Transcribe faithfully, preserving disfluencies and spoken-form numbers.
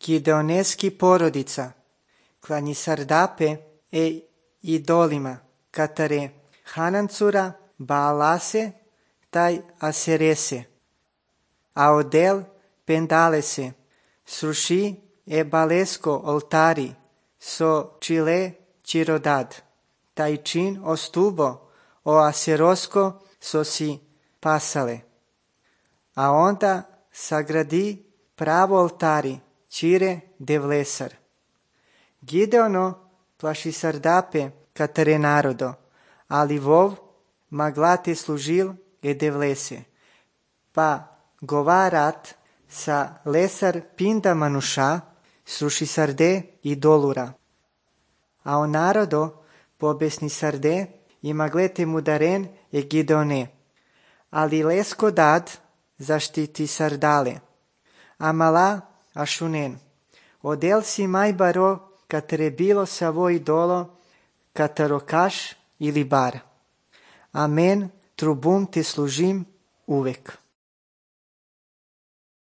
Gideoneski porodica, klani Sardape e idolima, katare Hanancura, Baalase, taj Aserese, a odel pendalese, sruši e balesko oltari, so čile čirodad, taj čin ostubo, o Aserosko so si pasale. A onda sagradi pravo oltari, čire devlesar. Gideono plaši Sardape katare narodo, ali vov maglate služil e devlese. Pa govarat sa lesar pinda manuša, sruši sarde i dolura. A o narodo pobesni sarde i maglete mudaren e Gideone. Ali lesko dad zaštiti sardale. Amala ašunen. Odel si mai baro katare bilo savo idolo katarokaš ili bar. Amen, trubum te služim uvek.